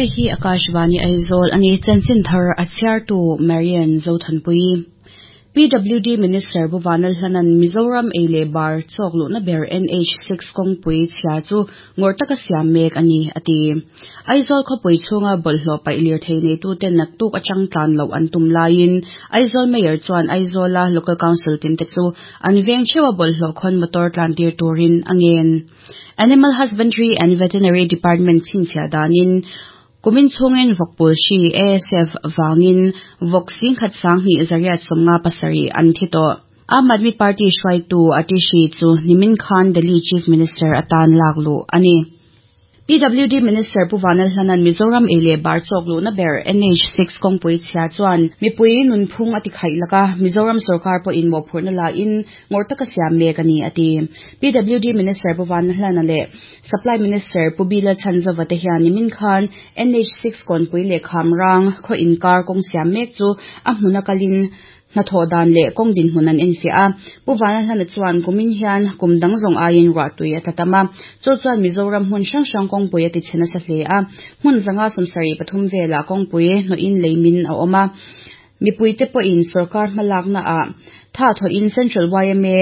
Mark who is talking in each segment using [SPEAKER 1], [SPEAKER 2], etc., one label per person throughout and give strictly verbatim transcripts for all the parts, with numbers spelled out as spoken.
[SPEAKER 1] Hei hi Akashvani Aizawl ani chanchin thar a chhiartu Marian Zothanpui. P W D Minister Pu Vanlalhlanan Mizoram ei leh bar chawk luhna ber N H six kawngpui chhia chu ngawr taka siam mek ani ati. Aizawl khawpui chhunga bawlhhlawh paih lirthei neitute naktuk atang tlan loh an tum laiin Aizawl Mayor chuan Aizawla Local Council tin te chu an veng theuha bawlhhlawh khawn motor tlan tir turin a ngen. Animal Husbandry and Veterinary Department chhinchhiah danin kumin chhungin vawkpul hri A S F wangin vawk singkhat sanghnih zariat sawmnga pasarih an thi tawh. Aam Aadmi Party hruaitu Atishi chu nimin khan Delhi Chief Minister atan lak luh ani. P W D Minister Pu Vanlalhlanan Mizoram ei leh bar chawk luhna ber N H six kawngpui chhia chuan mipui nunphung a ti khaih laka Mizoram sarkar pawhin mawhphurhna lain ngawr taka siam mek ani ati. P W D Minister Pu Vanlalhlana leh Supply Minister Pu Bila Chhanzova te hian nimin khan N H six kawnpui leh khamrang khaw inkar kawng siam mek chu a hmuna kalin hnathawh dan leh kawng dinhmun an enfiah a. Pu Vanlalhlana chuan kumin hian kum dang zawng aiin ruah tui a tla tam a. Chu chuan Mizoram hmun hrang hrang kawngpui a ti chhe nasa hle a. Hmun zanga sawmsarih pathum velah kawngpui hnawhin leimin a awm a. Mipui te pawhin sarkar hmalakna ah tha thawhin Central Y M A,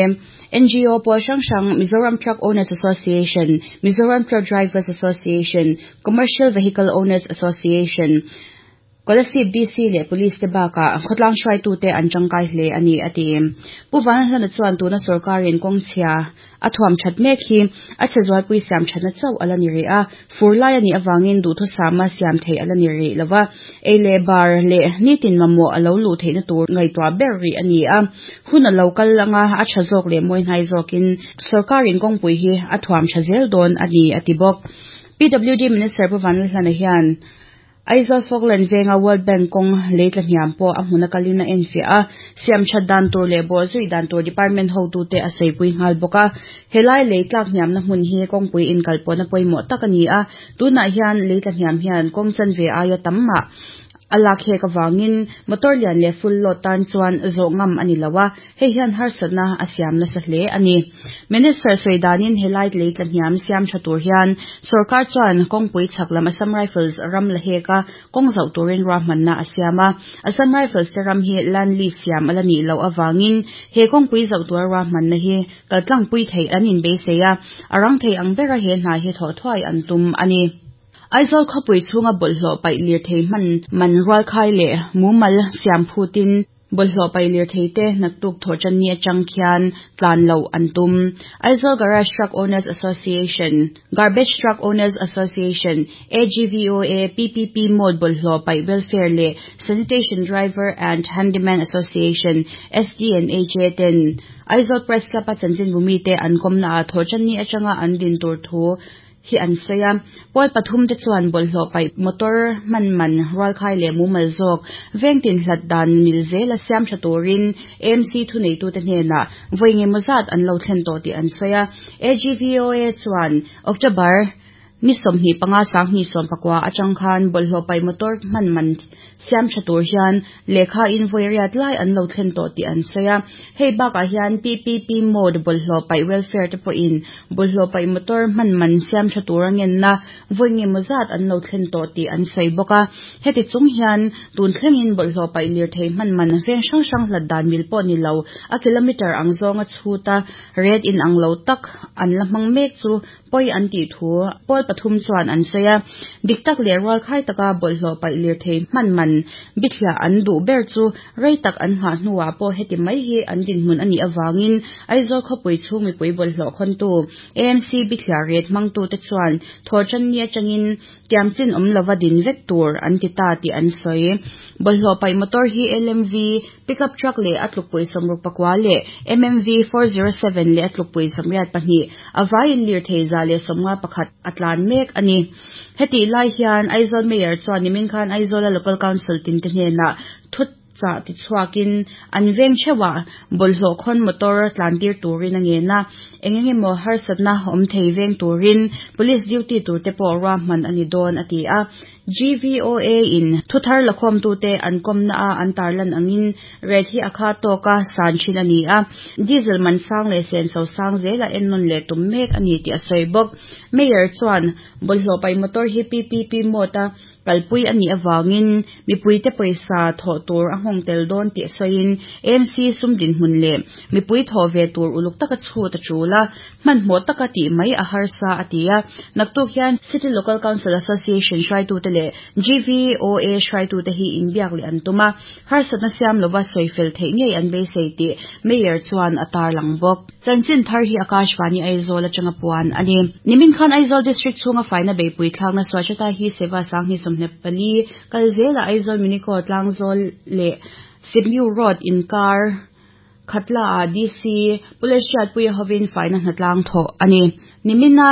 [SPEAKER 1] N G O pawl hrang hrang, Mizoram Truck Owners Association, Mizoram Truck Drivers Association, Commercial Vehicle Owners Association, Kolasib D C leh Police te bakah khawtlang hruaitu te an tangkai hle ani ati. Pu Vanlalhlana chuan tuna sarkarin kawng chhia a thuam that mek hi a chhe zualpui siam thatna chauh ala ni rih a. Fur lai ani awangin duhthusama siam thei ala ni rih lova. Ei leh bar leh nitin mamawh a lo luh theihna tur ngaihtuah ber rih ani a. Hun a lo kal anga a tha zawk leh mawi hnai zawkin sarkarin kawngpui hi a thuam tha zel dawn ani ati bawk. P W D Minister Pu Vanlalhlana hian Aizawl Falkland venga World Bank kawng leitla hniam pawh a hmuna kalin a enfiah a. Siam that dan tur leh bawhzui dan tur department hotu te a saipui nghal bawk a. Helai leitlak hniamna hmun hi kawngpui inkalpawhna pawimawh tak ani a. Tunah hian leitla hniam hian kawng chanve aia tam mah a lak hek awangin motor lian leh full load tan chuan zawh ngam ani lo a. Hei hian harsatna a siam nasa hle ani. Minister sawi danin helai leitla hniam siam tha tur hian sarkar chuan kawngpui chhak lam Assam Rifles ram la heka kawng zauh turin ruahmanna a siam a. Assam Rifles te ram hi land lease siam ala nih loh awangin he kawngpui zauh tur ruahmanna hi kaltlangpui thei an inbeisei a. A rang thei ang bera he hna hi thawh thuai an tum ani. Aizawl khawpui chhunga bawlhhlawh paih lirthei hman man rual khai leh mumal siam phutin bawlhhlawh paih lirthei te naktuk thawh channi atang khian tlan loh an tum. Aizawl Garage Truck Owners Association, Garbage Truck Owners Association, A G V O A, P P P Mode bawlhhlawh paih Welfare leh Sanitation Driver and Handyman Association, S D and A J ten Aizawl Press Club a chanchin bumi te an kawmna ah thawh channi atanga an din tur thu hi an sawi a. Pawl pathum te chuan bawlhhlawh paih motor hman man rual khai leh mumal zawk vengtin hlat dan mil zel a siam tha turin A M C thuneitu te hnenah vawi engemaw zat an lo thlen tawh tih an sawi a. A G V O A chuan October ni sawmhnih panga sanghnih sawm pakua atang khan bawlhhlawh paih motor hman man siam tha tur hian lehkha in vawi riat lai an lo thlen tawh tih an sawi a. Hei bakah hian P P P mode bawlhhlawh paih welfare te pawhin bawlhhlawh paih motor hman man siam tha tur a ngenna vawi engemaw zat an lo thlen tawh tih an sawi bawk a. Heti chung hian tun thlengin bawlhhlawh paih lirthei hman man veng hrang hrang hlat dan mil pawh ni lo a kilometer ang zawnga chhuta red in ang lo tak an la hmang mek chu pawi an tih thu pawl pathum chuan an sawi a. Dik tak leh rual khai taka bawlhhlawh paih lirthei hman man bithliah an duh ber chu rei tak an nghah hnuah pawh heti mai hi an dinhmun ani awangin Aizawl khawpui chhung mipui bawlhhlawh khawntu A M C bithliah ret hmangtu te chuan thawh channi atangin tiamchin awm lova din vek tur an ti ta tih an sawi. Bawlhhlawh paih motor hi L M V, pickup truck leh a tlukpui sawmruk pakua leh M M V four zero seven leh a tlukpui sawmriat pahnih a vaiin lirthei za leh sawmnga pakhat a tlan mek ani. Heti lai hian Aizawl Mayor chuan nimin khan Aizawla Local Council tin te hnenah thut cha ti chhuakin an veng theuha bawlhhlawh khawn motor tlan tir turin a ngen a. Eng engemaw harsatna awm thei veng turin police duty tur te pawh ruahman ani dawn a ti a. G V O A in thuthar lakhawm tu te an komna a an tarlan angin rate hi akha toka san thin ani a diesel man sang le sen so sang zela ennon le tum mek ani ti a soibok mayor chuan bolhlo pai motor hi P P P mota kalpui ani awangin mipui te poisa tho tur a hong tel don ti soin M C sumdin hun le mipui tho ve tur uluk taka chu ta chula man mo taka ti mai a harsa atia naktuk hian City Local Council Association hrai tu te le G V O A hrai tu te hi inbiak le antuma harsatna siam lova soifel thei ngei an be sei ti mayor chuan atar langbok chanchin thar hi Akashvani Aizawl atanga puan ani nimin khan Aizawl district chunga faina beipui thlakna Swachhata Hi Seva sangni somne pali kalzela Aizawl Muniko tlangzawl le Sipmiu Road inkar khatla a D C Puleshiat puya hovin faina hnatlang tho ani nimina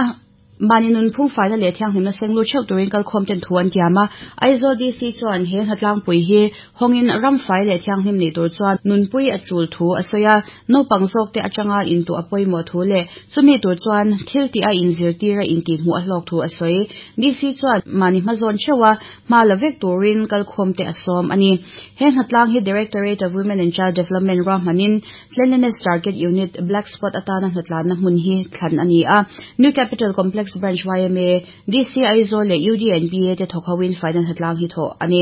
[SPEAKER 1] maninun phung faina le thiang hlimna senglu cheu turin kal khom ten thuan tiama Aizawl D C chuan he hnatlang pui hi hongin ram fai le thiang hlim ni tur chuan nunpui a chul thu asoya no pangzok te atanga intu apoi mo thu le chumi tur chuan thil ti a inzir tira inti mu a hlok thu asoi D C chuan mani hmazon chewa ma lavek turin kal khom te asom ani he hnatlang hi Directorate of Women and Child Development rahmanin Cleanliness Target Unit Black Spot atana hnatlan na hmun hi thlan ani a New Capital Complex Branch Y M A D C Aizawl le U D N B A te thokhawin final hatlang hi tho ani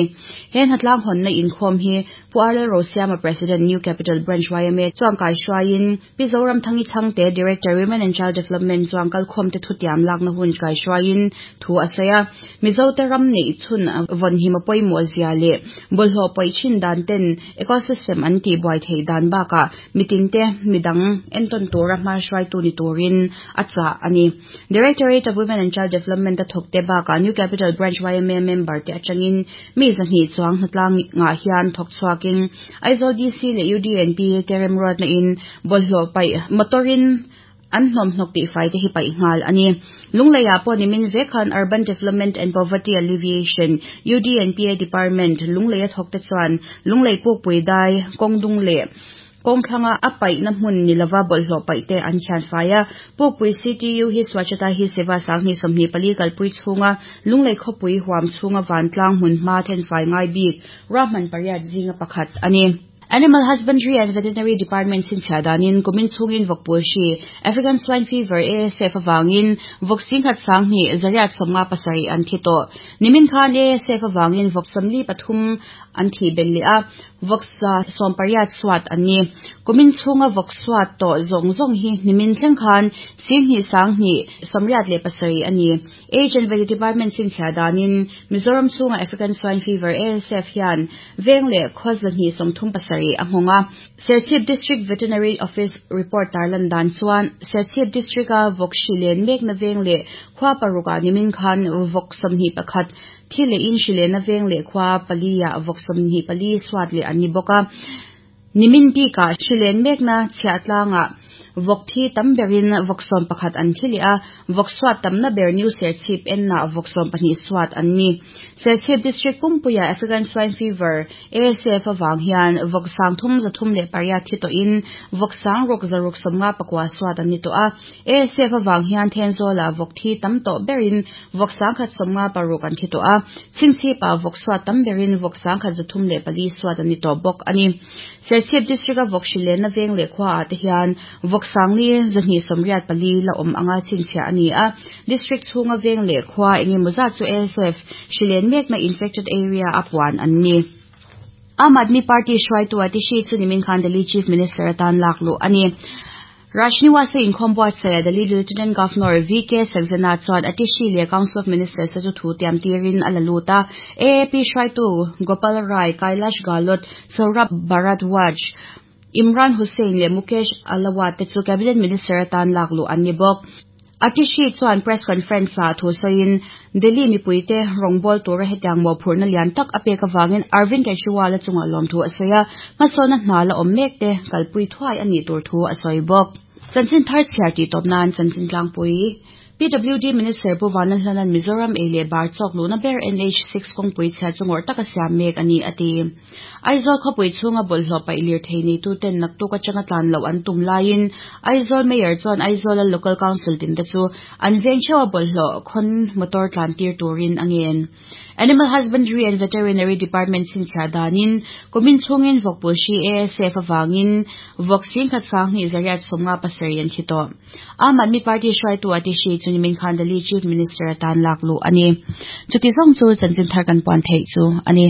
[SPEAKER 1] hen hatlang hon na inkhom hi Puarle Rosiama President New Capital Branch Y M A chuang kai shwain Mizoram thangi thangte Director Women and Child Development chuang kal khom te thutiam lak na hun kai shwain thu asaya Mizo te ram nei chun von hi mapoi mo zia le bolho poi chin dan ten ecosystem an ti boi thei dan ba ka mitin te midang enton tora ma shwai tu ni turin acha ani Directorate of Women and Child Development ta thokte ba ka New Capital Branch Y M A member te achangin mi zahni chuang hnatlang nga hian thok chuakin Aizawl D C le U D N P terem road na in bolhlo pai motorin an hlom hnok ti fai te hi pai ngal ani lungleya po ni min vekhan Urban Development and Poverty Alleviation U D N P A Department lungleya thokte chuan lunglei puk pui dai kongdung le kongthlanga apai na hmun nilawa bolhlo pai te an hian faia pukpui C T U hi Swachhata Hi Seva sangni somni pali kalpui chunga lunglei khopui huam chunga wantlang hmun hma then fai ngai bik rahman pariat zinga pakhat ani Animal Husbandry and Veterinary Department sin chadanin kumin chungin vokpul shi African Swine Fever A S F awangin voksing khat sangni zariat somnga pasari an thito nimin khan A S F awangin voksamli pathum an thi bellia voksa sompariat swat ani kumin chunga vokswat to zong zong hi nimin thleng khan singhi sangni somriat le pasari ani Age and Veterinary Department sin chadanin Mizoram chunga African Swine Fever A S F hian vengle khozlani somthum pasari ahonga Serchhip District Veterinary Office report tarlan dan chuan Serchhip District a vokshilen mek na vengle khwa paruka nimin khan voksamni pakhat thile in shile na vengle khwa palia voksamni pali swat le ani boka nimin pi ka shilen mek na chhiatlanga vokthi tamberin voksom pakhat an thilia vokswat tamna ber new Serchhip en na voksom pahnih swat anni Serchhip District pumpuya African Swine Fever A S F awang hian voksang thum zathum le pariat thi to in voksang rok zaruk somnga pakwa swat anni to a A S F awang hian Thenzola vokthi tam to berin voksang khat somnga paruk an thi to a Chhingchhipa vokswat tamberin voksang khat zathum le pali swat anni to bok ani Serchhip District a vokshilen na veng le khwa te hian voksangli zahni somriat pali la om anga chinchia ani a district chunga veng le khwa enge muza chu A S F shilen mek na infected area apwan anni Aam Aadmi Party hruai tu ati shi chu nimin khan Delhi Chief Minister atan laklu ani Rajniwasa inkhom buatsaih Delhi Lieutenant Governor V K Saxena chuan atishi le Council of Ministers chu thu tiam tirin a la luta A A P hruai tu Gopal Rai Kailash Gehlot Saurabh Bharadwaj Imran Hussain le Mukesh Alawat te chu Cabinet Minister atan laklu anni bawk Atishi chuan press conference a thu sawiin Delhi mipuite rawngbâwl tura hetiang mawhphurhna lian tak a pek awangin Arvind Kejriwal a chunga lawm thu a sawi a hmasawn a hna la awm mek te kalpui thuai a nih tur thu a sawi bawk chanchin thar chhiar tih tawp nan chanchin tlangpui P W D Minister Pu Vanlalhlanan Mizoram ei leh bar chawk luhna ber N H six kawngpui chhia chu ngawrh taka siam mek ani a ti. Aizawl khawpui chhunga bawlhhlawh paih lir thei nei tu ten naktuk atanga tlan loh an tum laiin Aizawl Mayor chuan Aizawl a Local Council tin te chu an veng theuh a bawlhhlawh khawn motor tlan tir turin a ngen. Animal Husbandry and Veterinary Department chhinchhiah danin kumin chhungin vawkpui hri A S F awangin vawk singkhat sanghnih zariat sawmnga pasarih an thi tawh. Aam Aadmi Party hruaitu Atishi chu nimin khan Delhi Chief Minister atan lak luh a ni. Chuti zawng chu chanchin thar kan puan theih chu a ni.